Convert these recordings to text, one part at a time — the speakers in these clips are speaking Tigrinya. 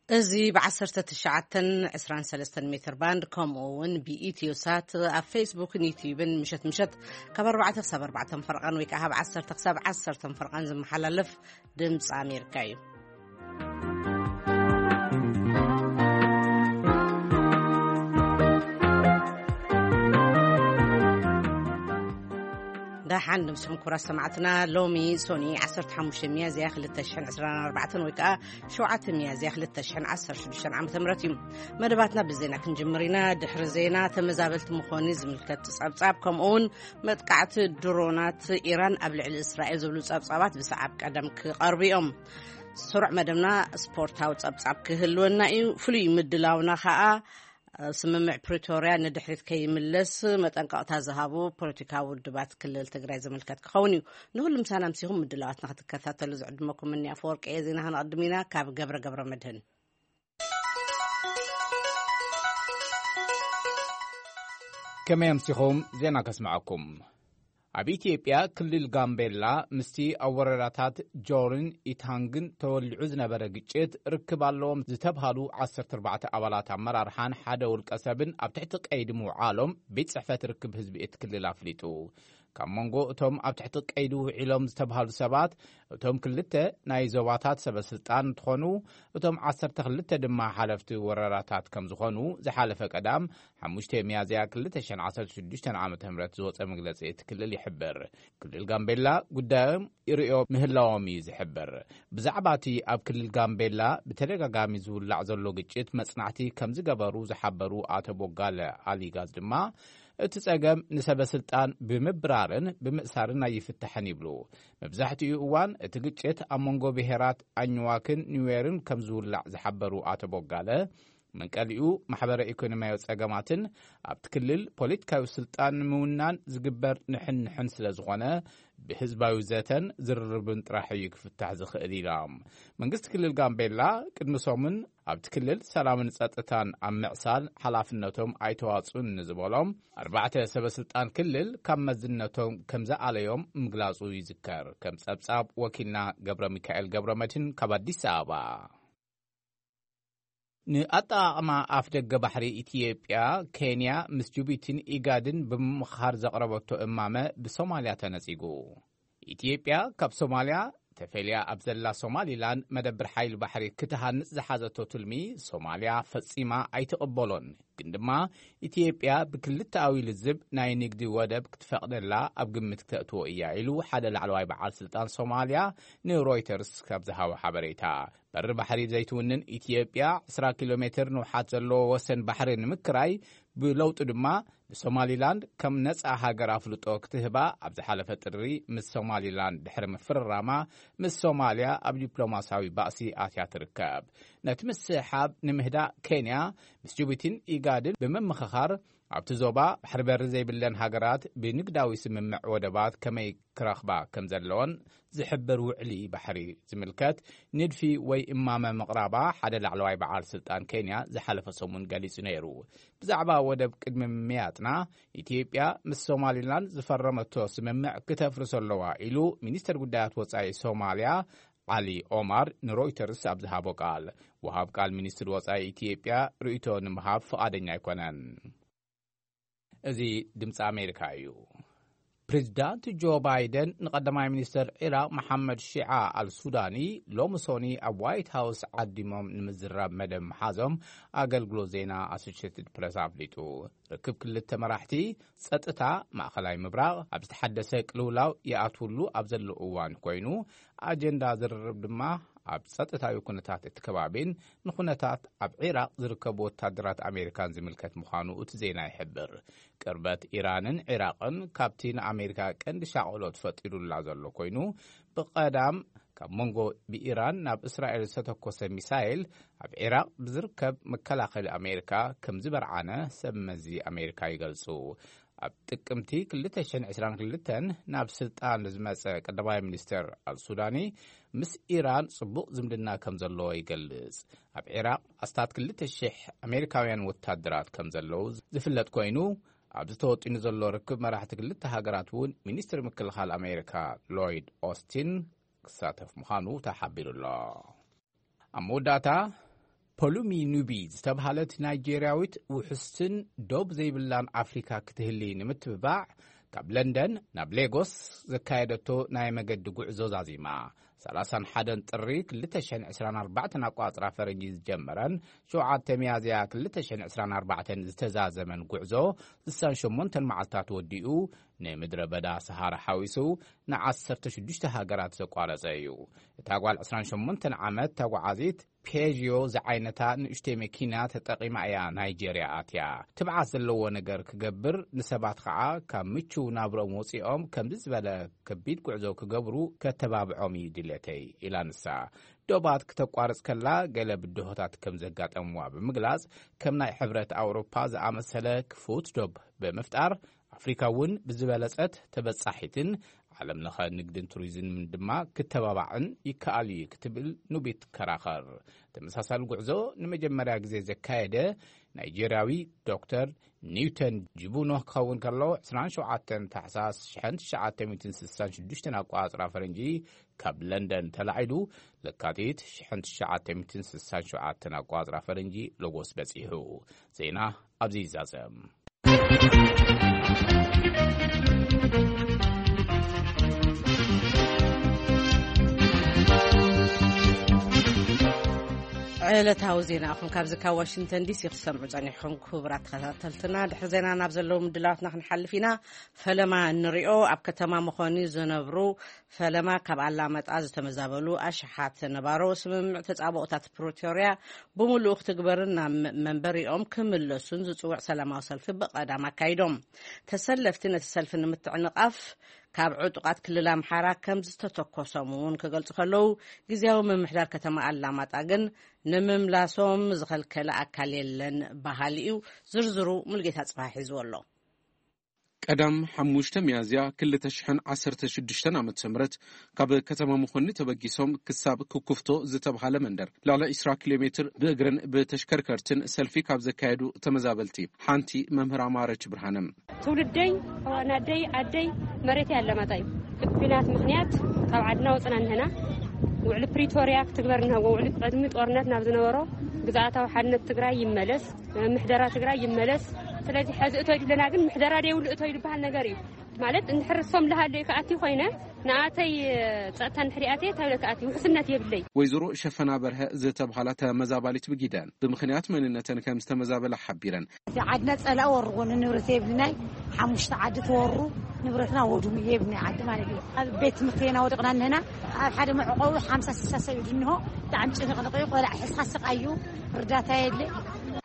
እዚ ብ19 23 ሜትር ባንድ፣ ከምኡ እውን ብኢትዮ ሳት ኣብ ፌስቡክን ዩቲዩብን ምሸት ምሸት ካብ ኣርባዕተ ክሳብ ኣርባዕተ ፈርቓን ወይ ከዓ ካብ ዓሰርተ ክሳብ ዓሰርተ ፈርቓን ዝመሓላለፍ ድምፂ ኣሜሪካ እዩ። ደሓን ድምስኹም ክቡራት ሰማዕትና። ሎሚ ሶኒ ዓሰርተ ሓሙሽተ ሚያዝያ ክልተ ሽሕን ዕስራን ኣርባዕተን ወይ ከዓ ሸውዓተ ሚያዝያ ክልተ ሽሕን ዓሰርተ ሽዱሽተን ዓመተ ምህረት እዩ። መደባትና ብዜና ክንጅምር ኢና። ድሕሪ ዜና፣ ተመዛበልቲ ምዃኑ ዝምልከት ጸብጻብ፣ ከምኡ እውን መጥቃዕቲ ድሮናት ኢራን ኣብ ልዕሊ እስራኤል ዝብሉ ጸብጻባት ብሰዓብ ቀደም ክቐርቡ እዮም። ስሩዕ መደብና ስፖርታዊ ጸብጻብ ክህልወና እዩ። ፍሉይ ምድላውና ኸኣ፣ ስምምዕ ፕሪቶርያ ንድሕሪት ከይምለስ መጠንቀቕታ ዝሃቡ ፖለቲካዊ ውድባት ክልል ትግራይ ዝምልከት ክኸውን እዩ። ንኹሉ ምሳና ምሲኹም ምድላዋትና ክትከታተሉ ዝዕድመኩም እኒ ኣፈወርቂ እየ። ዜና ክንቐድም ኢና። ካብ ገብረ ገብረ መድህን። ከመይ ኣምሲኹም? ዜና ከስምዐኩም። ኣብ ኢትዮጵያ ክልል ጋምቤላ ምስቲ ኣብ ወረዳታት ጆርን ኢታንግን ተወሊዑ ዝነበረ ግጭት ርክብ ኣለዎም ዝተብሃሉ ዓሰርተ ኣርባዕተ ኣባላት ኣመራርሓን ሓደ ውልቀ ሰብን ኣብ ትሕቲ ቀይዲ ምውዓሎም ቤት ጽሕፈት ርክብ ህዝቢ እቲ ክልል ኣፍሊጡ። ካብ መንጎ እቶም ኣብ ትሕቲ ቀይዲ ውዒሎም ዝተብሃሉ ሰባት፣ እቶም ክልተ ናይ ዞባታት ሰበ ስልጣን እንትኾኑ፣ እቶም ዓሰርተ ክልተ ድማ ሓለፍቲ ወረዳታት ከም ዝኾኑ ዝሓለፈ ቀዳም ሓሙሽተ ሚያዝያ ክልተ ሽሕን ዓሰርተ ሽዱሽተን ዓመተ ምህረት ዝወጸ መግለጺ እቲ ክልል ይሕብር። ክልል ጋምቤላ ጉዳዮም ይርእዮ ምህላዎም እዩ ዝሕብር። ብዛዕባ እቲ ኣብ ክልል ጋምቤላ ብተደጋጋሚ ዝውላዕ ዘሎ ግጭት መጽናዕቲ ከም ዝገበሩ ዝሓበሩ ኣቶ ቦጋለ ኣሊጋዝ ድማ፣ እቲ ጸገም ንሰበ ስልጣን ብምብራርን ብምእሳርን ኣይፍታሕን ይብሉ። መብዛሕትኡ እዋን እቲ ግጭት ኣብ መንጎ ብሄራት ኣኝዋክን ኒዌርን ከም ዝውላዕ ዝሓበሩ ኣቶ ቦጋለ፣ መንቀሊኡ ማሕበረ ኢኮኖሚያዊ ጸገማትን ኣብቲ ክልል ፖለቲካዊ ስልጣን ንምውናን ዝግበር ንሕንሕን ስለ ዝኾነ፣ ብህዝባዊ ዘተን ዝርርብን ጥራሕ እዩ ክፍታሕ ዝኽእል ኢሎም። መንግስቲ ክልል ጋምቤላ ቅድሚ ሰሙን ኣብቲ ክልል ሰላምን ጸጥታን ኣብ ምዕሳል ሓላፍነቶም ኣይተዋጽኡን ንዝበሎም ኣርባዕተ ሰበ ስልጣን ክልል ካብ መዝነቶም ከም ዝኣለዮም ምግላጹ ይዝከር። ከም ጸብጻብ ወኪልና ገብረ ሚካኤል ገብረ መድህን ካብ ኣዲስ ኣበባ። ንኣጠቓቕማ ኣፍ ደገ ባሕሪ ኢትዮጵያ፣ ኬንያ ምስ ጅቡቲን ኢጋድን ብምምኽኻር ዘቕረበቶ እማመ ብሶማልያ ተነጺጉ። ኢትዮጵያ ካብ ሶማልያ ተፈልያ ኣብ ዘላ ሶማሊላንድ መደብር ሓይሊ ባሕሪ ክትሃንጽ ዝሓዘቶ ትልሚ ሶማልያ ፈጺማ ኣይትቕበሎን። ግን ድማ ኢትዮጵያ ብክልተኣዊ ልዝብ ናይ ንግዲ ወደብ ክትፈቕደላ ኣብ ግምት ክተእትዎ እያ ኢሉ ሓደ ላዕለዋይ በዓል ስልጣን ሶማልያ ንሮይተርስ ካብ ዝሃቦ ሓበሬታ። በሪ ባሕሪ ዘይትውንን ኢትዮጵያ ዕስራ ኪሎ ሜትር ንውሓት ዘለዎ ወሰን ባሕሪ ንምክራይ፣ ብለውጡ ድማ ንሶማሊላንድ ከም ነጻ ሃገር ኣፍልጦ ክትህባ ኣብ ዝሓለፈ ጥሪ ምስ ሶማሊላንድ ድሕሪ ምፍርራማ፣ ምስ ሶማልያ ኣብ ዲፕሎማሲያዊ ባእሲ ኣትያ ትርከብ። ነቲ ምስሕሓብ ንምህዳእ ኬንያ ምስ ጅቡቲን ኢጋድን ብምምኽኻር፣ ኣብቲ ዞባ ባሕሪ በሪ ዘይብለን ሃገራት ብንግዳዊ ስምምዕ ወደባት ከመይ ክረኽባ ከም ዘለወን ዝሕብር ውዕሊ ባሕሪ ዝምልከት ንድፊ ወይ እማመ ምቕራባ ሓደ ላዕለዋይ በዓል ስልጣን ኬንያ ዝሓለፈ ሰሙን ገሊጹ ነይሩ። ብዛዕባ ወደብ ቅድሚ ምምያጥና፣ ኢትዮጵያ ምስ ሶማሊላንድ ዝፈረመቶ ስምምዕ ክተፍርሶ ኣለዋ ኢሉ ሚኒስተር ጉዳያት ወጻኢ ሶማልያ ዓሊ ኦማር ንሮይተርስ ኣብ ዝሃቦ ቃል። ወሃብ ቃል ሚኒስትር ወጻኢ ኢትዮጵያ ርእይቶ ንምሃብ ፍቓደኛ ኣይኮነን። እዚ ድምፂ ኣሜሪካ እዩ። ፕሬዚዳንት ጆ ባይደን ንቀዳማይ ሚኒስተር ዒራቕ መሓመድ ሺዓ ኣልሱዳኒ ሎሚ ሶኒ ኣብ ዋይት ሃውስ ዓዲሞም ንምዝራብ መደብ ምሓዞም ኣገልግሎት ዜና ኣሶሽትድ ፕረስ ኣፍሊጡ። ርክብ ክልተ መራሕቲ ጸጥታ ማእኸላይ ምብራቕ ኣብ ዝተሓደሰ ቅልውላው ይኣትውሉ ኣብ ዘሎ እዋን ኮይኑ፣ ኣጀንዳ ዝርርብ ድማ ኣብ ጸጥታዊ ኩነታት እቲ ከባቢን ንኩነታት ኣብ ዒራቕ ዝርከቡ ወታደራት ኣሜሪካን ዝምልከት ምዃኑ እቲ ዜና ይሕብር። ቅርበት ኢራንን ዒራቕን ካብቲ ንኣሜሪካ ቀንዲ ሻቕሎት ፈጢሩላ ዘሎ ኮይኑ፣ ብቐዳም ካብ መንጎ ብኢራን ናብ እስራኤል ዝተተኮሰ ሚሳይል ኣብ ዒራቕ ብዝርከብ መከላኸሊ ኣሜሪካ ከም ዝበርዓነ ሰብ መዚ ኣሜሪካ ይገልጹ። ኣብ ጥቅምቲ ክልተ ሽሕን ዕስራን ክልተን ናብ ስልጣን ዝመጸ ቀዳማይ ሚኒስተር ኣልሱዳኒ ምስ ኢራን ጽቡቕ ዝምድና ከም ዘለዎ ይገልጽ። ኣብ ዒራቕ ኣስታት ክልተ ሽሕ ኣሜሪካውያን ወታደራት ከም ዘለዉ ዝፍለጥ ኮይኑ፣ ኣብዚ ተወጢኑ ዘሎ ርክብ መራሕቲ ክልተ ሃገራት እውን ሚኒስትሪ ምክልኻል ኣሜሪካ ሎይድ ኦስቲን ክሳተፍ ምዃኑ ተሓቢሩ ኣሎ። ኣብ መወዳእታ፣ ፖሉሚ ኑቢ ዝተብሃለት ናይጄርያዊት ውሕስትን ዶብ ዘይብላን ኣፍሪካ ክትህሊ ንምትብባዕ ካብ ለንደን ናብ ሌጎስ ዘካየደቶ ናይ መገዲ ጉዕዞ ዛዚማ። ሰላሳን ሓደን ጥሪ ክልተ ሽሕን ዕስራን ኣርባዕተን ኣቋጽራ ፈረንጂ ዝጀመረን ሸውዓተ ሚያዝያ ክልተ ሽሕን ዕስራን ኣርባዕተን ዝተዛዘመን ጉዕዞ ስሳን ሸሞንተን መዓልታት ወዲኡ፣ ንምድረ በዳ ሰሃራ ሓዊሱ ንዓሰርተ ሽዱሽተ ሃገራት ዘቋረጸ እዩ። እታ ጓል ዕስራን ሸሞንተን ዓመት ተጓዓዚት ፔዥዮ ዝዓይነታ ንእሽተይ መኪና ተጠቒማ እያ ናይጄርያ ኣትያ። ትብዓት ዘለዎ ነገር ክገብር፣ ንሰባት ኸዓ ካብ ምቹው ናብርኦም ወፂኦም ከምዚ ዝበለ ከቢድ ጉዕዞ ክገብሩ ከተባብዖም እዩ ድሌተይ ኢላ ንሳ። ዶባት ክተቋርጽ ከላ ገለ ብድሆታት ከም ዘጋጠምዋ ብምግላጽ፣ ከም ናይ ሕብረት ኣውሮፓ ዝኣመሰለ ክፉት ዶብ ብምፍጣር ኣፍሪካ እውን ብዝበለጸት ተበጻሒትን ዓለም ለኸ ንግድን ቱሪዝምን ድማ ክተባባዕን ይከኣል እዩ ክትብል ኑቢት ከራኸር። ተመሳሳሊ ጉዕዞ ንመጀመርያ ግዜ ዘካየደ ናይጄርያዊ ዶክተር ኒውተን ጅቡኖ ክኸውን ከሎ፣ ዕስራን ሸውዓተን ታሕሳስ ሽሕን ትሽዓተ ሚእትን ስሳን ሽዱሽተን ኣቋጽራ ፈረንጂ ካብ ለንደን ተላዒሉ ለካቲት ሽሕን ትሽዓተ ሚእትን ስሳን ሸውዓተን ኣቋጽራ ፈረንጂ ሎጎስ በጺሑ። ዜና ኣብዚ ይዛዘም። ዕለታዊ ዜናኹም ካብዚ ካብ ዋሽንግተን ዲሲ ክትሰምዑ ጸኒሕኩም። ክቡራት ተኸታተልትና፣ ድሕሪ ዜና ናብ ዘለዉ ምድላዋትና ክንሓልፍ ኢና። ፈለማ እንሪኦ፣ ኣብ ከተማ መኾኒ ዝነብሩ ፈለማ ካብ ኣላመጣ ዝተመዛበሉ ኣሽሓት ነባሮ፣ ስምምዕ ተጻብኦታት ፕሪቶርያ ብምሉኡ ክትግበርን ናብ መ-፣ መንበሪኦም ክምለሱን ዝጽውዕ ሰላማዊ ሰልፊ ብቐዳም ኣካይዶም። ተሰለፍቲ ነቲ ሰልፊ ንምትዕንቓፍ ካብ ዕጡቓት ክልል ኣምሓራ ከም ዝተተኮሶም እውን ክገልጹ ከለዉ፣ ግዝያዊ ምምሕዳር ከተማ ኣላማጣ ግን ንምምላሶም ዝኸልከለ ኣካል የለን በሃሊ እዩ። ዝርዝሩ ሙልጌታ ጽባሕ ሒዝዎ ኣሎ። ቀዳም ሓሙሽተ ሚያዝያ ክልተ ሽሕን ዓሰርተ ሽዱሽተን ዓመተ ምህረት ካብ ከተማ መኾኒ ተበጊሶም ክሳብ ክኩፍቶ ዝተብሃለ መንደር ልዕሊ ዕስራ ኪሎ ሜትር ብእግርን ብተሽከርከርትን ሰልፊ ካብ ዘካየዱ ተመዛበልቲ ሓንቲ መምህር ኣማረች ብርሃነ። ትውልደይ፣ ኣደይ፣ ኣደይ መሬት ኣለማጣ እዩ። ብኲናት ምኽንያት ካብ ዓድና ወፅና እንህና። ውዕሊ ፕሪቶርያ ክትግበር እንሃዎ፣ ውዕሊ ቅድሚ ጦርነት ናብ ዝነበሮ ግዝኣታዊ ሓድነት ትግራይ ይመለስ፣ ምሕደራ ትግራይ ይመለስ። ስለዚ ሕዚ እቶ ይድለና ግን ምሕደራ ደይብሉ እቶ ይድበሃል ነገር እዩ። ማለት እንድሕር እሶም ልሃለዩ ክኣቲ ኮይነ ንኣተይ ፀጥታ እንድሕር ይኣተየ እንታይ ኢለ ክኣቲ ውሕስነት የብለይ። ወይዘሮ ሸፈና በርሀ ዝተብሃላ ተመዛባሊት ብጊደን ብምኽንያት መንነተን ከም ዝተመዛበላ ሓቢረን። እቲ ዓድና ጸላኢ ወርዎ ንንብረት የብልናይ ሓሙሽተ ዓዲ ተወሩ ንብረትና ወድሙ የብልናይ ዓዲ ማለት እዩ። ኣብ ቤት ትምህርቲ ኢና ወደቕና እንህና ኣብ ሓደ መዕቆቢ ሓምሳ ስሳ ሰብ እዩ ድንሆ ብጣዕሚ ጭንቕንቕ እዩ። ቆልዓ ሕስኻ ስቓይ እዩ። ርዳታ የለ።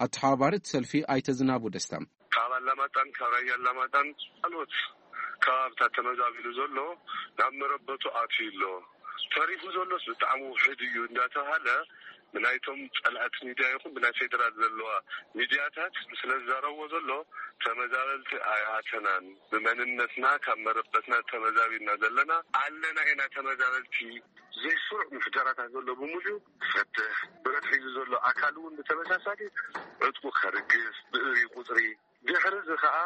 ኣተሓባባሪ እቲ ሰልፊ ኣይተ ዝናቡ ደስታ ካብ ኣላማጣን ካብ ራያ ኣላማጣን ካልኦት ከባብታት ተመዛቢሉ ዘሎ ናብ መረበቱ ኣትዩ ኣሎ። ተሪፉ ዘሎስ ብጣዕሚ ውሕድ እዩ እንዳተባሃለ ብናይቶም ጸላእቲ ሚድያ ይኹን ብናይ ፌደራል ዘለዋ ሚድያታት ስለ ዝዛረብዎ ዘሎ ተመዛበልቲ ኣይኣተናን። ብመንነትና ካብ መረበትና ተመዛቢልና ዘለና ኣለና ኢና። ተመዛበልቲ ዘይስሩዕ ምሕደራታት ዘሎ ብምሉኡ ክፈትሕ፣ ብረት ሒዙ ዘሎ ኣካል እውን ብተመሳሳሊ ዕጥቁ ከርግፍ፣ ብእሪ ቁጽሪ ድሕሪ እዚ ኸኣ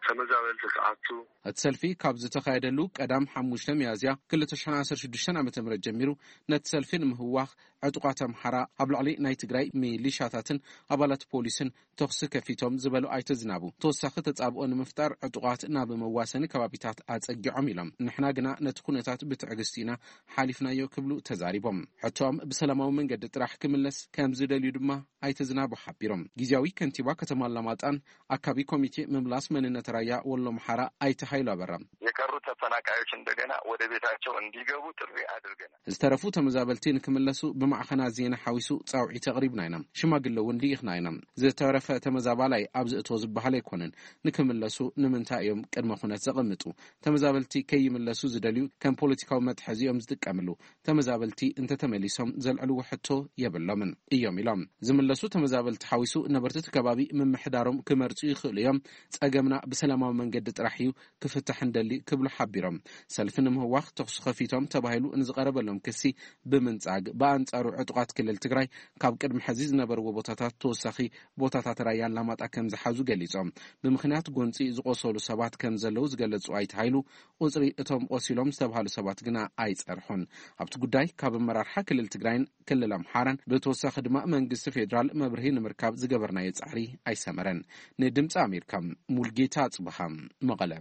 ተመዛበልቲ ክኣቱ። እቲ ሰልፊ ካብ ዝተኻየደሉ ቀዳም ሓሙሽተ ሚያዝያ ክልተ ሽሕን ዓሰርተ ሽዱሽተን ዓመተ ምህረት ጀሚሩ ነቲ ሰልፊ ንምህዋኽ ዕጡቓት ኣምሓራ ኣብ ልዕሊ ናይ ትግራይ ሚሊሻታትን ኣባላት ፖሊስን ተኹሲ ከፊቶም ዝበሉ ኣይተ ዝናቡ፣ ተወሳኺ ተጻብኦ ንምፍጣር ዕጡቓት ናብ መዋሰኒ ከባቢታት ኣጸጊዖም ኢሎም። ንሕና ግና ነቲ ኩነታት ብትዕግስቲ ኢና ሓሊፍናዮ ክብሉ ተዛሪቦም። ሕቶኦም ብሰላማዊ መንገዲ ጥራሕ ክምለስ ከም ዝደልዩ ድማ ኣይተ ዝናቡ ሓቢሮም። ግዝያዊ ከንቲባ ከተማ ኣላማጣን ኣካቢ ኮሚቴ ምምላስ መንነት ራያ ወሎ ኣምሓራ ኣይተ ሃይሉ ኣበራ። የቀሩ ተፈናቃዮች እንደገና ወደ ቤታቸው እንዲገቡ ጥሪ አድርገናል። ዝተረፉ ተመዛበልቲ ንክምለሱ ብማዕኸናት ዜና ሓዊሱ ጻውዒት ኣቕሪብና ኢና። ሽማግለ እውን ልኢኽና ኢና። ዝተረፈ ተመዛባላይ ኣብዚ እቶ ዝበሃል ኣይኮነን። ንክምለሱ ንምንታይ እዮም ቅድመ ኩነት ዘቐምጡ? ተመዛበልቲ ከይምለሱ ዝደልዩ ከም ፖለቲካዊ መትሓዚ እዮም ዝጥቀምሉ። ተመዛበልቲ እንተተመሊሶም ዘልዕልዎ ሕቶ የብሎምን እዮም ኢሎም። ዝምለሱ ተመዛበልቲ ሓዊሱ ነበርቲ እቲ ከባቢ ምምሕዳሮም ክመርጹ ይኽእሉ እዮም። ጸገምና ብሰላማዊ መንገዲ ጥራሕ እዩ ክፍታሕ እንደሊ ክብሉ ሓቢሮም። ሰልፊ ንምህዋኽ ተኹሲ ከፊቶም ተባሂሉ ንዝቐረበሎም ክሲ ብምንጻግ፣ ብኣንጻሩ ዕጡቓት ክልል ትግራይ ካብ ቅድሚ ሕዚ ዝነበርዎ ቦታታት ተወሳኺ ቦታታት ራያ ኣላማጣ ከም ዝሓዙ ገሊጾም። ብምኽንያት ጎንጺ ዝቆሰሉ ሰባት ከም ዘለዉ ዝገለጹ ኣይተ ሃይሉ፣ ቁጽሪ እቶም ቆሲሎም ዝተባሃሉ ሰባት ግና ኣይጸርሑን። ኣብቲ ጉዳይ ካብ ኣመራርሓ ክልል ትግራይን ክልል ኣምሓራን ብተወሳኺ ድማ መንግስቲ ፌዴራል መብርሂ ንምርካብ ዝገበርናዮ ጻዕሪ ኣይሰመረን። ንድምፂ ኣሜሪካ፣ ሙልጌታ ጽብሃ፣ መቐለ።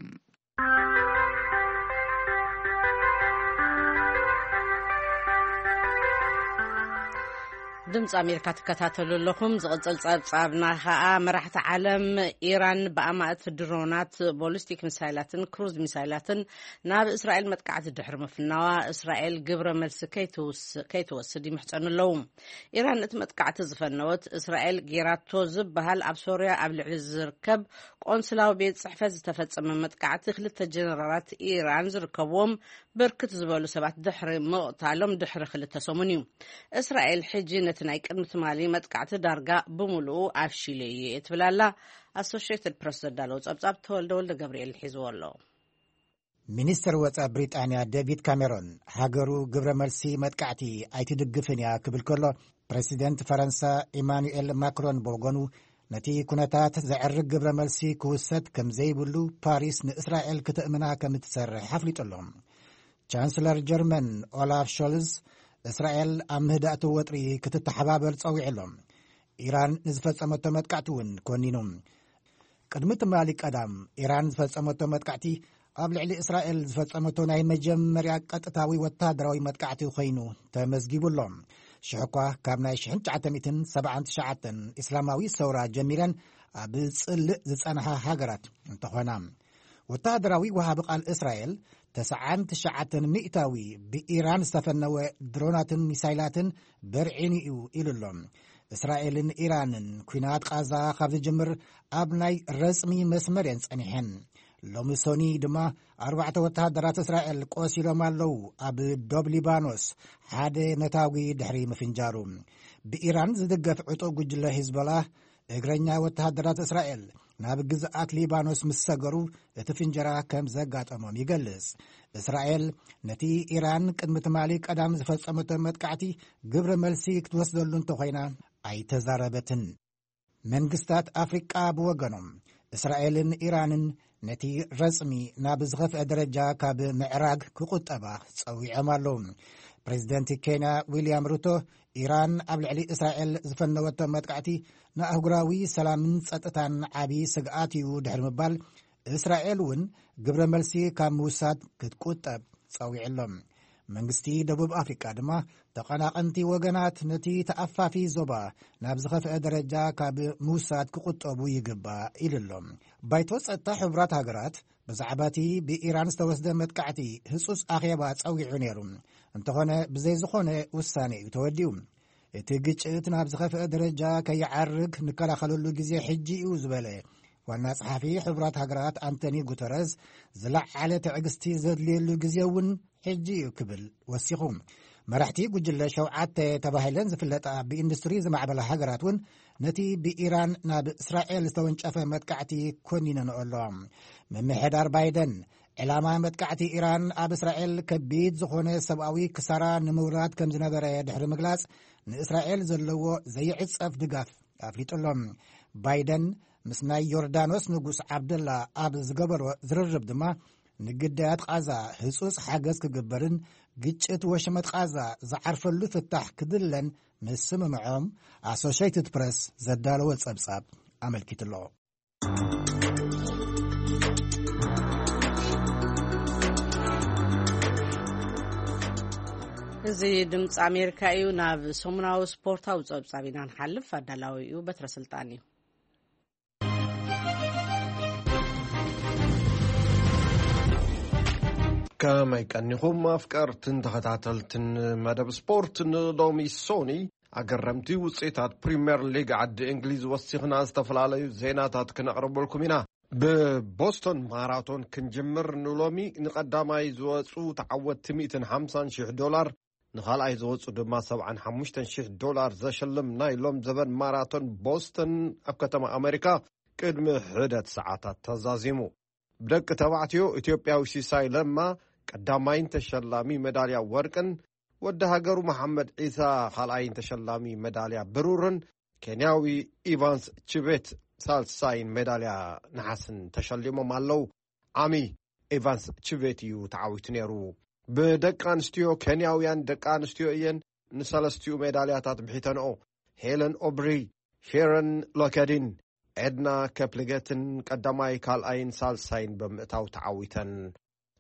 ድምፂ ኣሜሪካ ትከታተሉ ኣለኹም። ዝቕፅል ፀብፃብና ከዓ፣ መራሕቲ ዓለም ኢራን ብኣማእት ድሮናት፣ ቦሊስቲክ ሚሳይላትን ክሩዝ ሚሳይላትን ናብ እስራኤል መጥቃዕቲ ድሕሪ ምፍናዋ፣ እስራኤል ግብረ መልሲ ከይትውስ-፣ ከይትወስድ ይምሕጸኑ ኣለዉ። ኢራን እቲ መጥቃዕቲ ዝፈነወት፣ እስራኤል ጌራቶ ዝበሃል ኣብ ሶርያ ኣብ ልዕሊ ዝርከብ ቆንስላዊ ቤት ጽሕፈት ዝተፈጸመ መጥቃዕቲ ክልተ ጀነራላት ኢራን ዝርከብዎም ብርክት ዝበሉ ሰባት ድሕሪ ምቕታሎም ድሕሪ ክልተ ሰሙን እዩ። እስራኤል ሕጂ ነቲ ናይ ቅድሚ ትማሊ መጥቃዕቲ ዳርጋ ብምሉኡ ኣፍሺለ እየ ትብል ኣላ። ኣሶሽየትድ ፕረስ ዘዳለዎ ጸብጻብ ተወልደ ወልደ ገብርኤል ሒዝዎ ኣሎ። ሚኒስትር ወጻኢ ብሪጣንያ ዴቪድ ካሜሮን፣ ሃገሩ ግብረ መልሲ መጥቃዕቲ ኣይትድግፍን እያ ክብል ከሎ፣ ፕረሲደንት ፈረንሳ ኢማኑኤል ማክሮን ብወገኑ፣ ነቲ ኩነታት ዘዕርግ ግብረ መልሲ ክውሰድ ከም ዘይብሉ ፓሪስ ንእስራኤል ክተእምና ከም እትሰርሕ ኣፍሊጡ ኣሎ። ቻንስለር ጀርመን ኦላፍ ሾልዝ፣ እስራኤል ኣብ ምህዳእቲ ወጥሪ ክትተሓባበር ጸዊዑ ኣሎ። ኢራን ንዝፈጸመቶ መጥቃዕቲ እውን ኮኒኑ። ቅድሚ ትማሊ ቀዳም፣ ኢራን ዝፈጸመቶ መጥቃዕቲ ኣብ ልዕሊ እስራኤል ዝፈጸመቶ ናይ መጀመርያ ቀጥታዊ ወተሃደራዊ መጥቃዕቲ ኮይኑ ተመዝጊቡ ኣሎ። ሽሕ እኳ ካብ ናይ ሽሕን ትሽዓተ ሚእትን ሰብዓን ትሽዓተን እስላማዊ ሰውራ ጀሚረን ኣብ ጽልእ ዝጸንሓ ሃገራት እንተኾና፣ ወተሃደራዊ ወሃቢ ቃል እስራኤል ተስዓን ትሽዓተን ሚእታዊ ብኢራን ዝተፈነወ ድሮናትን ሚሳይላትን በርዒኑ እዩ ኢሉ ኣሎ። እስራኤልን ኢራንን ኲናት ቃዛ ካብ ዝጅምር ኣብ ናይ ረጽሚ መስመር እየን ጸኒሐን። ሎሚ ሶኒ ድማ ኣርባዕተ ወተሃደራት እስራኤል ቆሲሎም ኣለዉ፣ ኣብ ዶብ ሊባኖስ ሓደ ነታጒ ድሕሪ ምፍንጃሩ። ብኢራን ዝድገፍ ዕጡቕ ጉጅለ ሂዝቦላ፣ እግረኛ ወተሃደራት እስራኤል ናብ ግዝኣት ሊባኖስ ምስ ሰገሩ፣ እቲ ፍንጀራ ከም ዘጋጠሞም ይገልጽ። እስራኤል ነቲ ኢራን ቅድሚ ትማሊ ቀዳም ዝፈጸመቶ መጥቃዕቲ ግብረ መልሲ ክትወስደሉ እንተኾይና ኣይተዛረበትን። መንግስታት ኣፍሪቃ ብወገኖም፣ እስራኤልን ኢራንን ነቲ ረጽሚ ናብ ዝኸፍአ ደረጃ ካብ ምዕራግ ክቁጠባ ጸዊዖም ኣለዉ። ፕሬዚደንት ኬንያ ዊልያም ሩቶ፣ ኢራን ኣብ ልዕሊ እስራኤል ዝፈነወቶ መጥቃዕቲ ንኣህጉራዊ ሰላምን ጸጥታን ዓቢ ስግኣት እዩ ድሕሪ ምባል፣ እስራኤል እውን ግብረ መልሲ ካብ ምውሳድ ክትቁጠብ ጸዊዑ ኣሎ። መንግስቲ ደቡብ ኣፍሪቃ ድማ፣ ተቐናቐንቲ ወገናት ነቲ ተኣፋፊ ዞባ ናብ ዝኸፍአ ደረጃ ካብ ምውሳድ ክቁጠቡ ይግባእ ኢሉ ኣሎ። ባይቶ ጸጥታ ሕቡራት ሃገራት ብዛዕባ እቲ ብኢራን ዝተወስደ መጥቃዕቲ ህጹጽ ኣኼባ ጸዊዑ ነይሩ። እንተኾነ፣ ብዘይ ዝኾነ ውሳኔ እዩ ተወዲኡ። እቲ ግጭት ናብ ዝኸፍአ ደረጃ ከይዓርግ ንከላኸለሉ ግዜ ሕጂ እዩ ዝበለ ዋና ጸሓፊ ሕቡራት ሃገራት ኣንቶኒ ጉተረዝ፣ ዝለዓለ ትዕግስቲ ዘድልየሉ ግዜ እውን ሕጂ እዩ ክብል ወሲኹ። መራሕቲ ጉጅለ ሸውዓተ ተባሂለን ዝፍለጣ ብኢንዱስትሪ ዝማዕበላ ሃገራት እውን ነቲ ብኢራን ናብ እስራኤል ዝተወንጨፈ መጥቃዕቲ ኮኒነንኦ ኣለዋ። ምምሕዳር ባይደን፣ ዕላማ መጥቃዕቲ ኢራን ኣብ እስራኤል ከቢድ ዝኾነ ሰብኣዊ ክሳራ ንምውራድ ከም ዝነበረ ድሕሪ ምግላጽ፣ ንእስራኤል ዘለዎ ዘይዕጸፍ ድጋፍ ኣፍሊጡ ኣሎ። ባይደን ምስ ናይ ዮርዳኖስ ንጉስ ዓብደላ ኣብ ዝገበሮ ዝርርብ ድማ፣ ንግዳያት ቃዛ ህጹጽ ሓገዝ ክግበርን ግጭት ወሽመጥ ቃዛ ዝዓርፈሉ ፍታሕ ክድለን ምስምምዖም ኣሶሼትድ ፕረስ ዘዳለወ ጸብጻብ ኣመልኪቱ ኣሎ። እዚ ድምፂ ኣሜሪካ እዩ። ናብ ሰሙናዊ ስፖርታዊ ጸብጻብ ኢና ንሓልፍ። ኣዳላዊ እዩ በትረ ስልጣን እዩ። ከመይ ቀኒኹም ኣፍቀርትን ተኸታተልትን መደብ ስፖርት? ንሎሚ ሶኒ ኣገረምቲ ውፅኢታት ፕሪምየር ሊግ ዓዲ እንግሊዝ ወሲኽና ዝተፈላለዩ ዜናታት ክነቕርበልኩም ኢና። ብቦስቶን ማራቶን ክንጅምር፣ ንሎሚ ንቐዳማይ ዝወፁ ተዓወትቲ ሚእትን ሓምሳን ሺሕ ዶላር፣ ንኻልኣይ ዝወፁ ድማ ሰብዓን ሓሙሽተን ሺሕ ዶላር ዘሸልም ናይ ሎም ዘበን ማራቶን ቦስተን ኣብ ከተማ ኣሜሪካ ቅድሚ ሕደት ሰዓታት ተዛዚሙ። ብደቂ ተባዕትዮ ኢትዮጵያዊ ሲሳይ ለማ ቀዳማይን ተሸላሚ መዳልያ ወርቅን፣ ወዲ ሃገሩ መሓመድ ዒሳ ካልኣይን ተሸላሚ መዳልያ ብሩርን፣ ኬንያዊ ኢቫንስ ችቤት ሳልሳይን ሜዳልያ ነሓስን ተሸሊሞም ኣለዉ። ዓሚ ኢቫንስ ችቤት እዩ ተዓዊቱ ነይሩ። ብደቂ ኣንስትዮ ኬንያውያን ደቂ ኣንስትዮ እየን ንሰለስቲኡ ሜዳልያታት ብሒተንኦ። ሄለን ኦብሪ፣ ሼረን ሎከዲን፣ ኤድና ከፕልገትን ቀዳማይ ካልኣይን ሳልሳይን ብምእታው ተዓዊተን።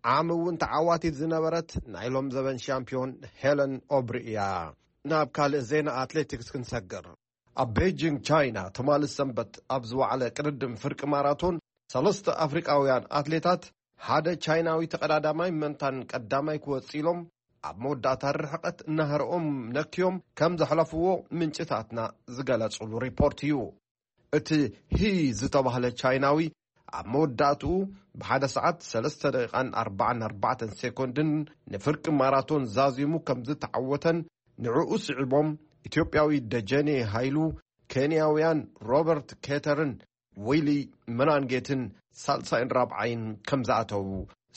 ዓሚ እውን ተዓዋቲት ዝነበረት ናይ ሎም ዘበን ሻምፒዮን ሄለን ኦብሪ እያ። ናብ ካልእ ዜና ኣትሌቲክስ ክንሰግር። ኣብ ቤጂንግ ቻይና ትማሊ ሰንበት ኣብ ዝወዓለ ቅድድም ፍርቂ ማራቶን ሰለስተ ኣፍሪቃውያን ኣትሌታት ሓደ ቻይናዊ ተቐዳዳማይ መንታን ቀዳማይ ክወጽእ ኢሎም ኣብ መወዳእታ ርሕቀት ናህርኦም ነክዮም ከም ዘሕለፍዎ ምንጭታትና ዝገለጹሉ ሪፖርት እዩ። እቲ ሂ ዝተባህለ ቻይናዊ ኣብ መወዳእትኡ ብሓደ ሰዓት ሰለስተ ደቂቓን ኣርባዓን ኣርባዕተን ሴኮንድን ንፍርቂ ማራቶን ዛዚሙ ከም ዝተዓወተን ንዕኡ ስዒቦም ኢትዮጵያዊ ደጀኔ ሃይሉ፣ ኬንያውያን ሮበርት ኬተርን ዊሊ መናንጌትን ሳልሳይን ራብዓይን ከም ዝኣተዉ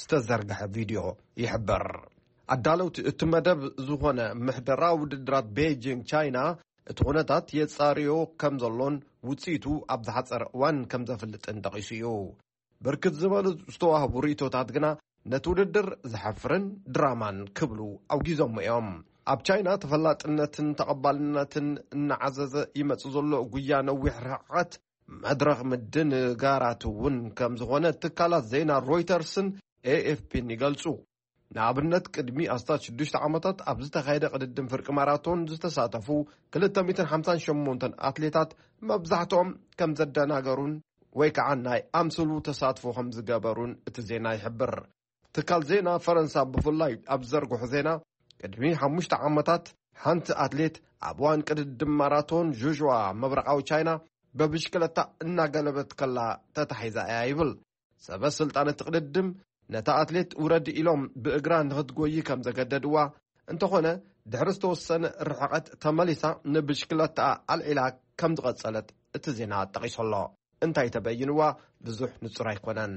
ዝተዘርግሐ ቪድዮ ይሕብር። ኣዳለውቲ እቲ መደብ ዝኾነ ምሕደራ ውድድራት ቤጂንግ ቻይና እቲ ኩነታት የጻርዮ ከም ዘሎን ውጽኢቱ ኣብ ዝሓጸረ እዋን ከም ዘፍልጥን ጠቒሱ እዩ። ብርክት ዝበሉ ዝተዋህቡ ርእይቶታት ግና ነቲ ውድድር ዘሐፍርን ድራማን ክብሉ ኣውጊዞሞ እዮም። ኣብ ቻይና ተፈላጥነትን ተቐባልነትን እናዓዘዘ ይመጽእ ዘሎ ጉያ ነዊሕ ርሕቀት መድረኽ ምድንጋራት እውን ከም ዝኾነ ትካላት ዜና ሮይተርስን ኤኤፍፒን ይገልጹ። ንኣብነት ቅድሚ ኣስታት ሽዱሽተ ዓመታት ኣብ ዝተኻየደ ቅድድም ፍርቂ ማራቶን ዝተሳተፉ ክልተ ሚእትን ሓምሳን ሸሞንተን ኣትሌታት መብዛሕትኦም ከም ዘደናገሩን ወይ ከዓ ናይ ኣምስሉ ተሳትፎ ከም ዝገበሩን እቲ ዜና ይሕብር። ትካል ዜና ፈረንሳ ብፍላይ ኣብ ዘርግሑ ዜና ቅድሚ ሓሙሽተ ዓመታት ሓንቲ ኣትሌት ኣብ እዋን ቅድድም ማራቶን ዥዥዋ ምብራቓዊ ቻይና በብሽክለታ እናገለበት ከላ ተታሒዛ እያ ይብል። ሰበ ስልጣን እቲ ቅድድም ነታ ኣትሌት ውረዲ ኢሎም ብእግራ ንኽትጎይ ከም ዘገደድዋ፣ እንተኾነ ድሕሪ ዝተወሰነ ርሕቐት ተመሊሳ ንብሽክለታኣ ኣልዒላ ከም ዝቐጸለት እቲ ዜና ጠቒሱ ኣሎ። እንታይ ተበይንዋ ብዙሕ ንጹር ኣይኮነን።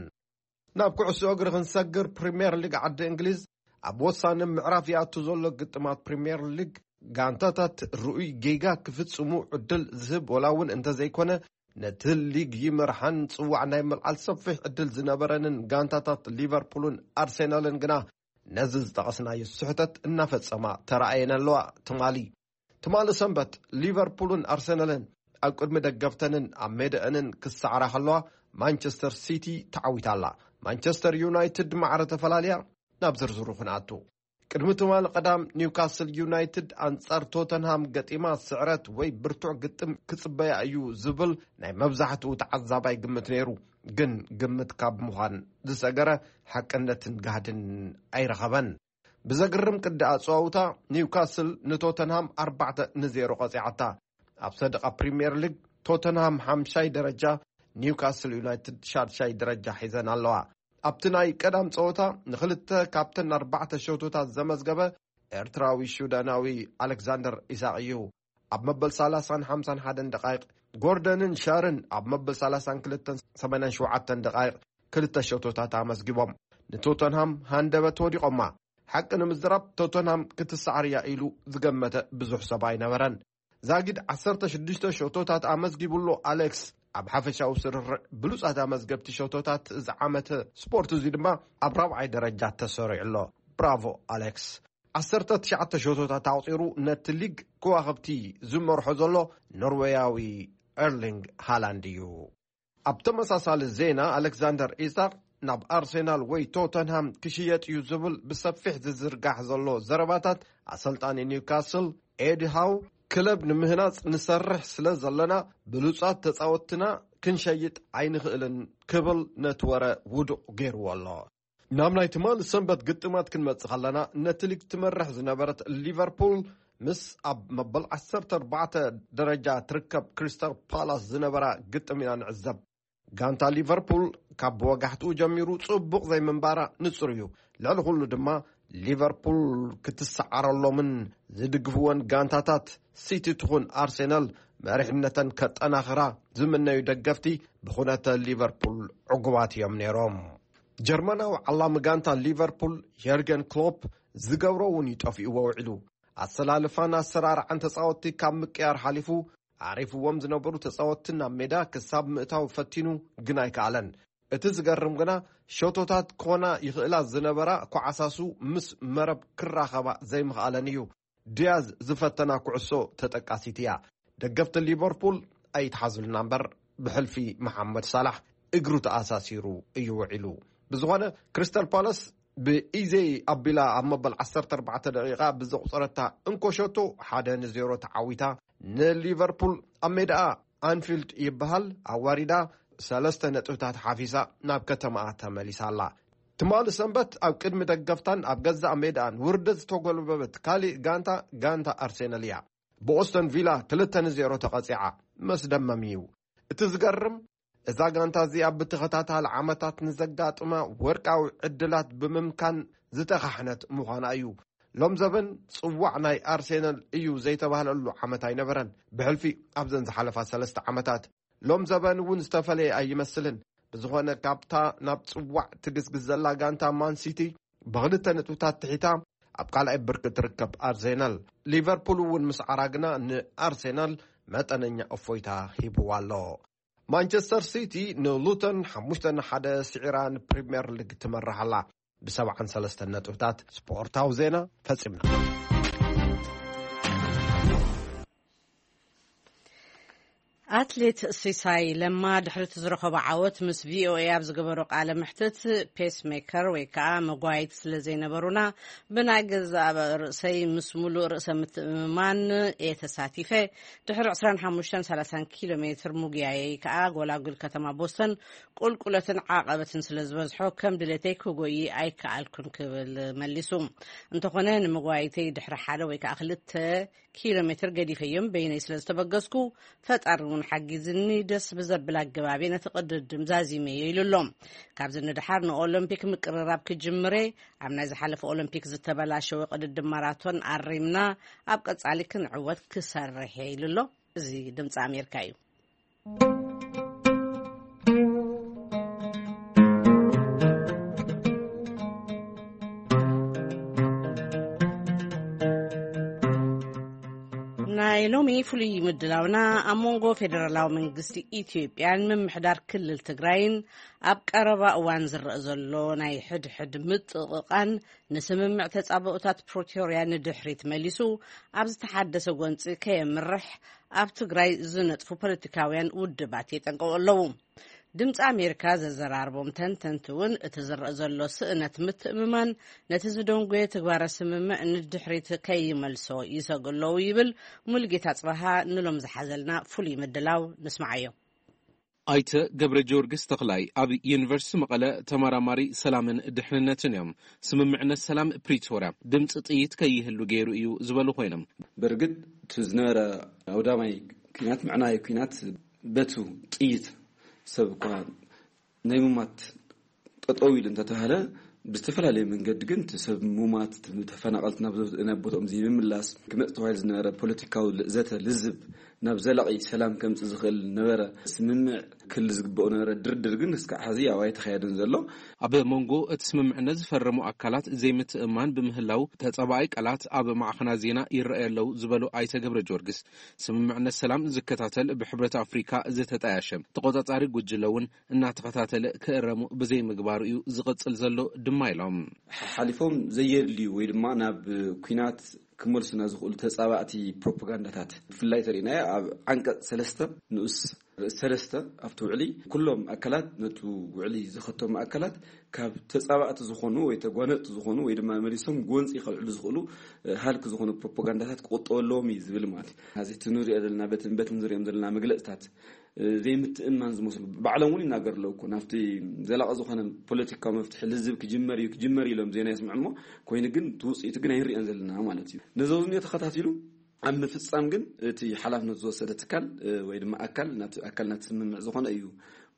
ናብ ኩዕሶ እግሪ ክንሰግር፣ ፕሪምየር ሊግ ዓዲ እንግሊዝ ኣብ ወሳኒ ምዕራፍ ይኣቱ ዘሎ ግጥማት ፕሪምየር ሊግ ጋንታታት ርኡይ ጌጋ ክፍጽሙ ዕድል ዝህብ ወላ እውን እንተዘይኮነ፣ ነቲ ሊግ ይመርሓን ጽዋዕ ናይ ምልዓል ሰፊሕ ዕድል ዝነበረንን ጋንታታት ሊቨርፑልን ኣርሴናልን ግና ነዚ ዝጠቐስናዮ ስሕተት እናፈጸማ ተራእየን ኣለዋ። ትማሊ ትማሊ ሰንበት ሊቨርፑልን ኣርሰናልን ኣብ ቅድሚ ደገፍተንን ኣብ ሜዳአንን ክሰዓራ ከለዋ፣ ማንቸስተር ሲቲ ተዓዊታ ኣላ። ማንቸስተር ዩናይትድ ማዕረ ተፈላልያ። ናብ ዝርዝሩ ክንኣቱ። ቅድሚ ትማሊ ቀዳም ኒውካስል ዩናይትድ ኣንጻር ቶተንሃም ገጢማ ስዕረት ወይ ብርቱዕ ግጥም ክጽበያ እዩ ዝብል ናይ መብዛሕትኡ ተዓዛባይ ግምት ነይሩ። ግን ግምት ካብ ምዃን ዝሰገረ ሓቅነትን ጋህድን ኣይረኸበን። ብዘግርም ቅዲ ኣጸዋውታ ኒውካስል ንቶተንሃም ኣርባዕተ ንዜሮ ቀጺዓታ። ኣብ ሰደቓ ፕሪምየር ሊግ ቶተንሃም ሓምሻይ ደረጃ፣ ኒውካስል ዩናይትድ ሻድሻይ ደረጃ ሒዘን ኣለዋ። ኣብቲ ናይ ቀዳም ጸወታ ንኽልተ ካብተን ኣርባዕተ ሸቶታት ዘመዝገበ ኤርትራዊ ሹዳናዊ ኣሌክዛንደር ኢሳቕ እዩ። ኣብ መበል ሰላሳን ሓምሳን ሓደን ደቓይቕ፣ ጎርደንን ሻርን ኣብ መበል ሰላሳን ክልተን ሰማንያን ሸውዓተን ደቓይቕ ክልተ ሸቶታት ኣመዝጊቦም ንቶተንሃም ሃንደበት ወዲቖማ። ሓቂ ንምዝራብ ቶተንሃም ክትሰዓር እያ ኢሉ ዝገመተ ብዙሕ ሰብ ኣይነበረን። ዛጊድ ዓሰርተ ሽዱሽተ ሸቶታት ኣመዝጊቡሎ ኣሌክስ ኣብ ሓፈሻዊ ስርርዕ ብሉጻት ኣመዝገብቲ ሸቶታት ዝዓመተ ስፖርት እዚ ድማ ኣብ ራብዓይ ደረጃ ተሰሪዑ ኣሎ። ብራቮ ኣሌክስ። ዓሰርተ ትሽዓተ ሸቶታት ኣቑጺሩ ነቲ ሊግ ከዋኽብቲ ዝመርሖ ዘሎ ኖርዌያዊ ኤርሊንግ ሃላንድ እዩ። ኣብ ተመሳሳሊ ዜና፣ ኣሌክዛንደር ኢሳቕ ናብ ኣርሴናል ወይ ቶተንሃም ክሽየጥ እዩ ዝብል ብሰፊሕ ዝዝርጋሕ ዘሎ ዘረባታት፣ ኣሰልጣኒ ኒውካስል ኤዲ ሃው፣ ክለብ ንምህናጽ ንሰርሕ ስለ ዘለና ብሉጻት ተጻወትትና ክንሸይጥ ኣይንኽእልን ክብል ነቲ ወረ ውዱቕ ገይርዎ ኣሎ። ናብ ናይ ትማሊ ሰንበት ግጥማት ክንመጽእ ከለና፣ ነቲ ሊግ ትመርሕ ዝነበረት ሊቨርፑል ምስ ኣብ መበል ዓሰርተ ኣርባዕተ ደረጃ ትርከብ ክሪስታል ፓላስ ዝነበራ ግጥም ኢና ንዕዘብ። ጋንታ ሊቨርፑል ካብ ወጋሕትኡ ጀሚሩ ጽቡቕ ዘይምንባራ ንጹር እዩ። ልዕሊ ኩሉ ድማ ሊቨርፑል ክትሰዓረሎምን ዝድግፍወን ጋንታታት ሲቲ ትኹን ኣርሴናል መሪሕነተን ከጠናኽራ ዝምነዩ ደገፍቲ ብኹነተ ሊቨርፑል ዕጉባት እዮም ነይሮም። ጀርመናዊ ዓላሚ ጋንታ ሊቨርፑል የርገን ክሎፕ ዝገብሮ እውን እዩ ጠፊእዎ ውዒሉ። ኣሰላልፋን ኣሰራርዓን ተጻወትቲ ካብ ምቅያር ሓሊፉ፣ ኣዕሪፍዎም ዝነበሩ ተጻወትቲ ናብ ሜዳ ክሳብ ምእታው ፈቲኑ፣ ግን ኣይከኣለን። እቲ ዝገርም ግና፣ ሸቶታት ክኾና ይኽእላ ዝነበራ ኳዓሳሱ ምስ መረብ ክራኸባ ዘይምኽኣለን እዩ። ዲያዝ ዝፈተና ኩዕሶ ተጠቃሲት እያ። ደገፍቲ ሊቨርፑል ኣይትሓዙልና እምበር፣ ብሕልፊ መሓመድ ሳላሕ እግሩ ተኣሳሲሩ እዩ ውዒሉ። ብዝኾነ፣ ክሪስታል ፓላስ ብኢዜይ ኣቢላ ኣብ መበል ዓሰርተ ኣርባዕተ ደቂቓ ብዘቑጸረታ እንኮ ሸቶ ሓደ ንዜሮ ተዓዊታ፣ ንሊቨርፑል ኣብ ሜዳኣ ኣንፊልድ ይበሃል ኣዋሪዳ ሰለስተ ነጥብታት ሓፊሳ ናብ ከተማኣ ተመሊሳ ኣላ። ትማሊ ሰንበት ኣብ ቅድሚ ደገፍታን ኣብ ገዛእ ሜዳኣን ውርደት ዝተጎልበበት ካሊእ ጋንታ፣ ጋንታ ኣርሴናል እያ። ብኦስተን ቪላ ክልተ ንዜሮ ተቐጺዓ። መስደመም እዩ። እቲ ዝገርም፣ እዛ ጋንታ እዚኣ ብተኸታታሊ ዓመታት ንዘጋጥማ ወርቃዊ ዕድላት ብምምካን ዝተኻሕነት ምዃና እዩ። ሎም ዘበን ጽዋዕ ናይ ኣርሴናል እዩ ዘይተባህለሉ ዓመት ኣይነበረን፣ ብሕልፊ ኣብዘን ዝሓለፋ ሰለስተ ዓመታት። ሎም ዘበን እውን ዝተፈለየ ኣይመስልን። ብዝኾነ፣ ካብታ ናብ ጽዋዕ ትግስግስ ዘላ ጋንታ ማን ሲቲ ብኽልተ ነጥብታት ትሒታ ኣብ ካልኣይ ብርኪ ትርከብ ኣርሴናል። ሊቨርፑል እውን ምስ ዓራግና ንኣርሴናል መጠነኛ እፎይታ ሂብዋ ኣሎ። ማንቸስተር ሲቲ ንሉተን ሓሙሽተ ንሓደ ስዒራ ንፕሪምየር ሊግ ትመርሕ ኣላ። ብ73 ነጥብታት። ስፖርታዊ ዜና ፈጺምና። ኣትሌት ሲሳይ ለማ ድሕሪ እቲ ዝረኸቦ ዓወት ምስ ቪኦኤ ኣብ ዝገበሮ ቃለ መሕትት፣ ፔስ ሜከር ወይ ከዓ መጓየይቲ ስለ ዘይነበሩና፣ ብናይ ገዛእ ርእሰይ ምስ ሙሉእ ርእሰ ምትእምማን እየ ተሳቲፈ። ድሕሪ ዕስራን ሓሙሽተን ሰላሳን ኪሎ ሜትር ምጉያየይ ከዓ ጎላጉል ከተማ ቦስተን ቁልቁለትን ዓቐበትን ስለ ዝበዝሖ፣ ከም ድሌተይ ክጎይ ኣይከኣልኩን ክብል መሊሱ። እንተኾነ፣ ንምጓይተይ ድሕሪ ሓደ ወይ ከዓ ክልተ ኪሎ ሜትር ገዲፈዮም በይነይ ስለ ዝተበገስኩ፣ ፈጣሪ እውን ሓጊዝኒ፣ ደስ ብዘብል ኣገባብ እየ ነቲ ቅድድም ዛዚመዮ ኢሉ ኣሎ። ካብዚ ንድሓር ንኦሎምፒክ ምቅርራብ ክጅምር እየ። ኣብ ናይ ዝሓለፈ ኦሎምፒክ ዝተበላሸወ ቅድድም ማራቶን ኣሪምና፣ ኣብ ቀጻሊ ክንዕወት ክሰርሕ እየ ኢሉ ኣሎ። እዚ ድምፂ ኣሜሪካ እዩ። ናይ ሎሚ ፍሉይ ምድላውና፣ ኣብ መንጎ ፌደራላዊ መንግስቲ ኢትዮጵያን ምምሕዳር ክልል ትግራይን ኣብ ቀረባ እዋን ዝረአ ዘሎ ናይ ሕድሕድ ምጥቕቓን፣ ንስምምዕ ተጻብኦታት ፕሪቶርያ ንድሕሪት መሊሱ፣ ኣብ ዝተሓደሰ ጎንጺ ከየምርሕ ኣብ ትግራይ ዝነጥፉ ፖለቲካውያን ውድባት የጠንቅቑ ኣለዉ። ድምፂ ኣሜሪካ ዘዘራርቦም ተንተንቲ እውን፣ እቲ ዝረአ ዘሎ ስእነት ምትእምማን፣ ነቲ ዝደንጎየ ትግባረ ስምምዕ ንድሕሪት ከይመልሶ ይሰግኡ ኣለዉ ይብል። ሙሉጌታ ጽባሃ ንሎም ዝሓዘልና ፍሉይ ምድላው ንስማዓዮ። ኣይተ ገብረ ጊዮርጊስ ተኽላይ ኣብ ዩኒቨርሲቲ መቐለ ተመራማሪ ሰላምን ድሕንነትን እዮም። ስምምዕነት ሰላም ፕሪቶርያ ድምፂ ጥይት ከይህሉ ገይሩ እዩ ዝበሉ ኮይኖም፣ ብርግጥ እቲ ዝነበረ ኣውዳማይ ኲናት፣ ምዕናይ ኲናት፣ በቱ ጥይት ሰብ እኳ ናይ ምማት ጠጠው ኢሉ እንተተባህለ፣ ብዝተፈላለየ መንገዲ ግን እቲ ሰብ ምማት፣ እቲ ተፈናቐልቲ ናብ ዘ-፣ ናብ ቦታኦም ዘይምምላስ፣ ክመጽእ ተባሂሉ ዝነበረ ፖለቲካዊ ል-፣ ዘተ፣ ልዝብ፣ ናብ ዘላቒ ሰላም ከምጽእ ዝኽእል ነበረ። ስምምዕ ክል ዝግበኦ ነበረ። ድርድር ግን እስካዕ ሕዚ ያው ኣይተኻየደን ዘሎ። ኣብ መንጎ እቲ ስምምዕነት ዝፈረሙ ኣካላት ዘይምትእምማን ብምህላው፣ ተጻባኣይ ቃላት ኣብ ማዕኸናት ዜና ይረኣዩ ኣለዉ ዝበሉ ኣይተ ገብረ ጊዮርጊስ፣ ስምምዕነት ሰላም ዝከታተል ብሕብረት ኣፍሪካ ዝተጣያሸ ተቆጻጻሪ ጉጅለ እውን እናተኸታተለ ክእረሙ ብዘይምግባሩ እዩ ዝቕጽል ዘሎ ድማ ኢሎም። ሓሊፎም ዘየድልዩ ወይ ድማ ናብ ኲናት ክመልሱና ዝኽእሉ ተጻባእቲ ፕሮፓጋንዳታት ብፍላይ ተሪእናዮ ኣብ ዓንቀጽ ሰለስተ ንኡስ ሰለስተ ኣብቲ ውዕሊ፣ ኩሎም ኣካላት፣ ነቱ ውዕሊ ዘኸተሙ ኣካላት ካብ ተጻባእቲ ዝኾኑ ወይ ተጓነጽቲ ዝኾኑ ወይ ድማ መሊሶም ጎንጺ ከልዕሉ ዝኽእሉ፣ እ፣ ሃልኪ ዝኾኑ ፕሮፓጋንዳታት ክቑጠቡ ኣለዎም እዩ ዝብል ማለት እዩ። እዚ እቲ ንሪኦ ዘለና፣ በትን በትን ዝሪኦም ዘለና መግለጽታት፣ እ፣ ዘይምትእምማን ዝመስሉ ባዕሎም እውን ይናገሩ ኣለዉ እኮ። ናብቲ ዘላቒ ዝኾነ ፖለቲካዊ መፍትሒ ልዝብ ክጅመር እዩ፣ ክጅመር እዩ ኢሎም ዜና የስምዑ እሞ፣ ኮይኑ ግን እቲ ውጽኢቱ ግን ኣይንሪኦን ዘለና ማለት እዩ። ነዚ እውን ተኸታቲሉ ኣብ ምፍጻም ግን እቲ ሓላፍነት ዝወሰደ ትካል፣ እ፣ ወይ ድማ ኣካል፣ ናብቲ ኣካል ናቲ ስምምዕ ዝኾነ እዩ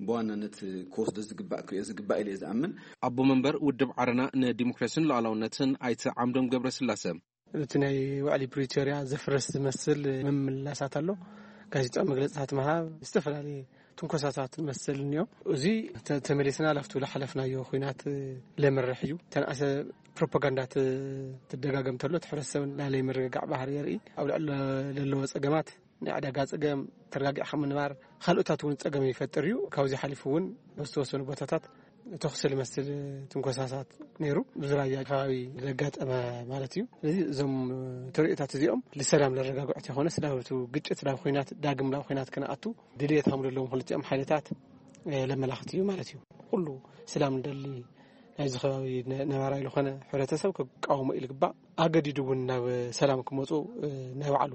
ብዋናነት ክወስዶ ዝግባእ፣ ክሪኦ ዝግባእ ኢለ እየ ዝኣምን። ኣቦ መንበር ውድብ ዓረና ንዲሞክራሲን ሉዓላውነትን ኣይተ ዓምዶም ገብረስላሰ፣ እቲ ናይ ውዕሊ ፕሪቶርያ ዘፍረስ ዝመስል ምምላሳት ኣሎ። ጋዜጣዊ መግለጽታት ምሃብ፣ ዝተፈላለየ ትንኮሳታት መሰል እኒኦ። እዚ ተ- ተመሊስና ላፍቱ ዝሓለፍናዮ ኩናት ለምርሕ እዩ። ተንኣሰ ፕሮፓጋንዳ ት- ትደጋገም ተሎ እቲ ሕብረተሰብ ናይ ምርግጋዕ ባህሪ የርኢ። ኣብ ልዕሊ ለለዎ ጸገማት ናይ ዕዳጋ ጸገም፣ ተረጋጊዕካ ምንባር፣ ካልኦታት እውን ጸገም ይፈጥር እዩ። ካብዚ ሓሊፉ እውን ኣብ ዝተወሰኑ ቦታታት ተኹሲ ዝመስል ትንኮሳታት ነይሩ። ብዝራያ ከባቢ ዘጋጠመ ማለት እዩ። ስለዚ እዞም ተርእዮታት እዚኦም ልሰላም ለረጋግዑት የኾነ ስላብቱ ግጭት ናብ ኩናት ዳግም ናብ ኩናት ክነኣቱ ድልየት ሃም ዘለዎም ክልቲኦም ሓይልታት ለመላኽት እዩ ማለት እዩ። ኩሉ ሰላም ንደሊ ናይዚ ከባቢ ነ- ነባራይ ዝኾነ ሕብረተሰብ ክቃወሞ እዩ ዝግባእ። ኣገዲዱ እውን ናብ ሰላም ክመፁ ናይ ባዕሉ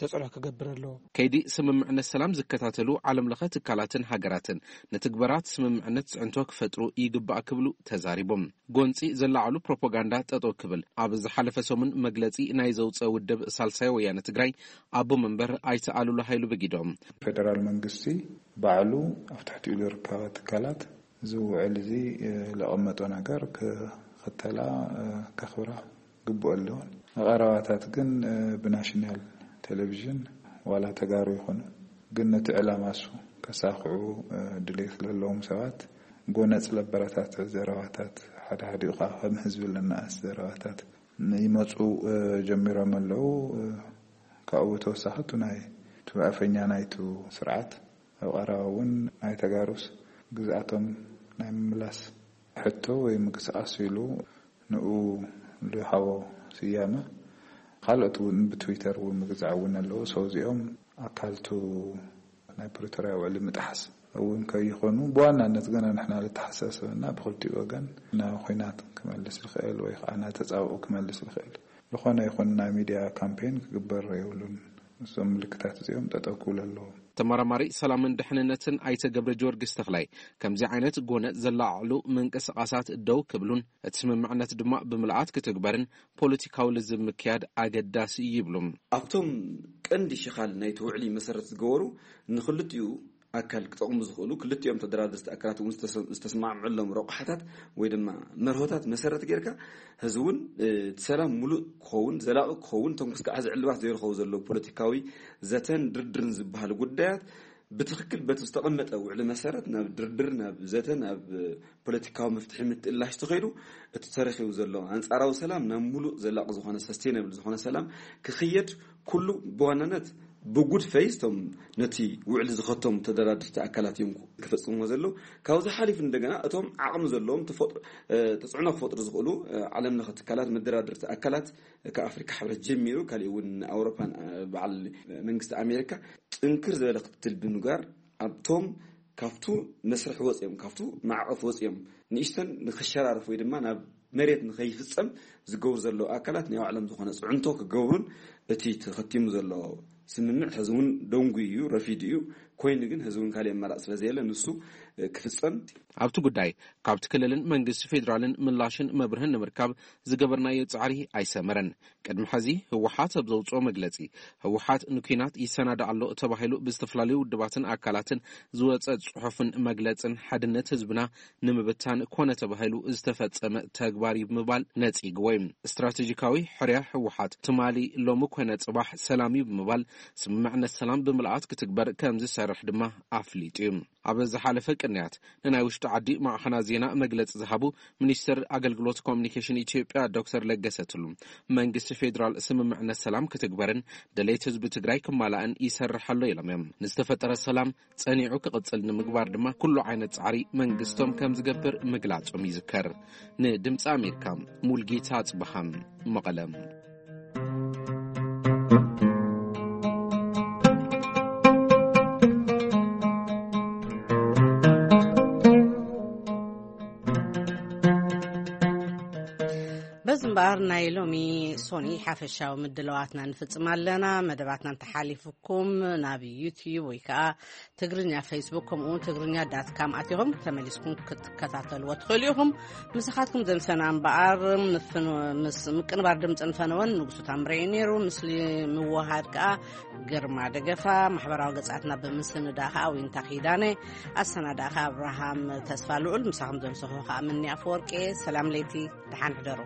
ተፅዕኖ ክገብር ኣለዎ። ከይዲ ስምምዕነት ሰላም ዝከታተሉ ዓለም ለኸ ትካላትን ሃገራትን ንትግበራት ስምምዕነት ፅዕንቶ ክፈጥሩ ይግባእ ክብሉ ተዛሪቦም። ጎንፂ ዘላዓሉ ፕሮፓጋንዳ ጠጠው ክብል ኣብ ዝሓለፈ ሰሙን መግለፂ ናይ ዘውፀ ውድብ ሳልሳይ ወያነ ትግራይ ኣቦ መንበር ኣይተ ኣሉላ ሃይሉ በጊዶም። ፌደራል መንግስቲ ባዕሉ ኣብ ትሕቲኡ ዝርከባ ትካላት እዚ ውዕል እዚ ለቐመጦ ነገር ክኽተላ ከኽብራ ግቡእ ኣለዎን። ቀረባታት ግን ብናሽናል ቴሌቪዥን ዋላ ተጋሩ ይኾኑ ግን ነቲ ዕላማ እሱ ከሳኽዑ ድሌት ለለዎም ሰባት ጎነጽ ለበረታት ዘረባታት ሓደ ሓደ ኸዓ ከም ህዝቢ ለነኣስ ዘረባታት ይመፁ ጀሚሮም ኣለዉ። ካብኡ ተወሳኺ እቱ ናይ እቲ ኣፈኛ ናይቱ ስርዓት ኣብ ቀረባ እውን ናይ ተጋሩስ ግዝኣቶም ናይ ምምላስ ሕቶ ወይ ምንቅስቃስ ኢሉ ንኡ ዝሃቦ ስያመ ካልኦት እውን ብትዊተር እውን ምግዛዕ እውን ኣለዎ። ሰው እዚኦም ኣካልቱ ናይ ፕሪቶርያ ውዕሊ ምጥሓስ እውን ከይኾኑ ብዋናነት ገና ንሕና ልተሓሳሰበና ብክልቲኡ ወገን ናብ ኹናት ክመልስ ዝኽእል ወይ ከዓ ናብ ተፃብኦ ክመልስ ዝኽእል ዝኾነ ይኹን ናይ ሚድያ ካምፔን ክግበር የብሉን። እዞም ምልክታት እዚኦም ጠጠው ክብሉ ኣለዎም። ተመራማሪ ሰላምን ድሕንነትን ኣይተ ገብረ ጊዮርጊስ ተኽላይ ከምዚ ዓይነት ጎነ ዘላዓዕሉ ምንቅስቃሳት ደው ክብሉን እቲ ስምምዕነት ድማ ብምልኣት ክትግበርን ፖለቲካዊ ልዝብ ምክያድ ኣገዳሲ እዩ ይብሉ። ኣብቶም ቀንዲ ሽኻል ናይቲ ውዕሊ መሰረት ዝገበሩ ንክልቲኡ ኣካል ክጠቕሙ ዝኽእሉ ክልቲኦም ተደራደርቲ ኣካላት እውን ዝተሰማዕምዕሎም ረቑሓታት ወይ ድማ መርሆታት መሰረት ጌርካ ህዚ እውን እቲ ሰላም ሙሉእ ክኸውን ዘላቒ ክኸውን እቶም ክስካዕ ሕዚ ዕልባት ዘይረኸቡ ዘለዉ ፖለቲካዊ ዘተን ድርድርን ዝበሃሉ ጉዳያት ብትኽክል በቲ ዝተቐመጠ ውዕሊ መሰረት ናብ ድርድር ናብ ዘተ ናብ ፖለቲካዊ መፍትሒ ምትእላሽ ተኸይዱ እቲ ተረኺቡ ዘሎ ኣንፃራዊ ሰላም ናብ ሙሉእ ዘላቒ ዝኾነ ሰስቴነብል ዝኾነ ሰላም ክኽየድ ኩሉ ብዋናነት ብጉድ ፈይስ እቶም ነቲ ውዕሊ ዝኸቶም ተደራድርቲ ኣካላት እዮም ክፈፅምዎ ዘለዉ። ካብዚ ሓሊፉ እንደገና እቶም ዓቕሚ ዘለዎም ተፅዕኖ ክፈጥሩ ዝኽእሉ ዓለም ለኸ ትካላት መደራድርቲ ኣካላት ካብ ኣፍሪካ ሕብረት ጀሚሩ ካሊእ እውን ኣውሮፓን በዓል መንግስቲ ኣሜሪካ ጥንክር ዝበለ ክትትል ብምግባር ኣብቶም ካብቱ መስርሕ ወፅኦም ካብቱ ማዕቐፍ ወፅኦም ንእሽተን ንክሸራርፍ ወይ ድማ ናብ መሬት ንኸይፍፀም ዝገብሩ ዘለዉ ኣካላት ናይ ባዕሎም ዝኾነ ፅዕንቶ ክገብሩን እቲ ተኸቲሙ ዘሎ ስምምዕ ሕዚ እውን ደንጉ እዩ ረፊዱ እዩ። ኮይኑ ግን ሕዚ እውን ካሊእ ኣማራፂ ስለዘየለ ንሱ ክፍፀም ኣብቲ ጉዳይ ካብቲ ክልልን መንግስቲ ፌዴራልን ምላሽን መብርህን ንምርካብ ዝገበርናዮ ፃዕሪ ኣይሰመረን። ቅድሚ ሕዚ ህወሓት ኣብ ዘውፅኦ መግለፂ ህወሓት ንኲናት ይሰናዳእ ኣሎ ተባሂሉ ብዝተፈላለዩ ውድባትን ኣካላትን ዝወፀ ፅሑፍን መግለፅን ሓድነት ህዝብና ንምብታን ኮነ ተባሂሉ ዝተፈፀመ ተግባር እዩ ብምባል ነፂግዎ እዩ። ስትራቴጂካዊ ሕርያ ህወሓት ትማሊ ሎሚ ኮነ ፅባሕ ሰላም እዩ ብምባል ስምምዕነት ሰላም ብምልኣት ክትግበር ከም ዝሰርሕ ድማ ኣፍሊጡ እዩ። ኣብ ዝሓለፈ ቅንያት ንናይ ውሽጢ ዓዲ ማዕኸናት ዜና መግለፂ ዝሃቡ ሚኒስትር ኣገልግሎት ኮሚኒኬሽን ኢትዮጵያ ዶክተር ለገሰ ቱሉ መንግስቲ ፌዴራል ስምምዕነት ሰላም ክትግበርን ደሌት ህዝቢ ትግራይ ክማላእን ይሰርሕ ኣሎ ኢሎም እዮም። ንዝተፈጠረ ሰላም ፀኒዑ ክቕፅል ንምግባር ድማ ኩሉ ዓይነት ፃዕሪ መንግስቶም ከም ዝገብር ምግላፆም ይዝከር። ንድምፂ ኣሜሪካ ሙልጌታ ኣፅበሃም መቐለም። በዚ እምበኣር ናይ ሎሚ ሶኒ ሓፈሻዊ ምድለዋትና ንፍጽም ኣለና። መደባትና እንተሓሊፉኩም ናብ ዩትዩብ ወይ ከዓ ትግርኛ ፌስቡክ ከምኡውን ትግርኛ ዳት ካም ኣቲኹም ተመሊስኩም ክትከታተልዎ ትኽእሉ ኢኹም። ምሳኻትኩም ዘምሰና እምበኣር ምስ ምቅንባር ድምፂ ንፈነወን ንጉሱ ታምረይ ነይሩ። ምስሊ ምውሃድ ከዓ ግርማ ደገፋ፣ ማሕበራዊ ገጻትና ብምስንዳ ከዓ ዊንታ ኪዳነ፣ ኣሰናዳ ከዓ ኣብርሃም ተስፋ ልዑል፣ ምሳኹም ዘምሰኹ ከዓ ምኒ ኣፈወርቂ። ሰላም ለይቲ፣ ደሓን ሕደሩ።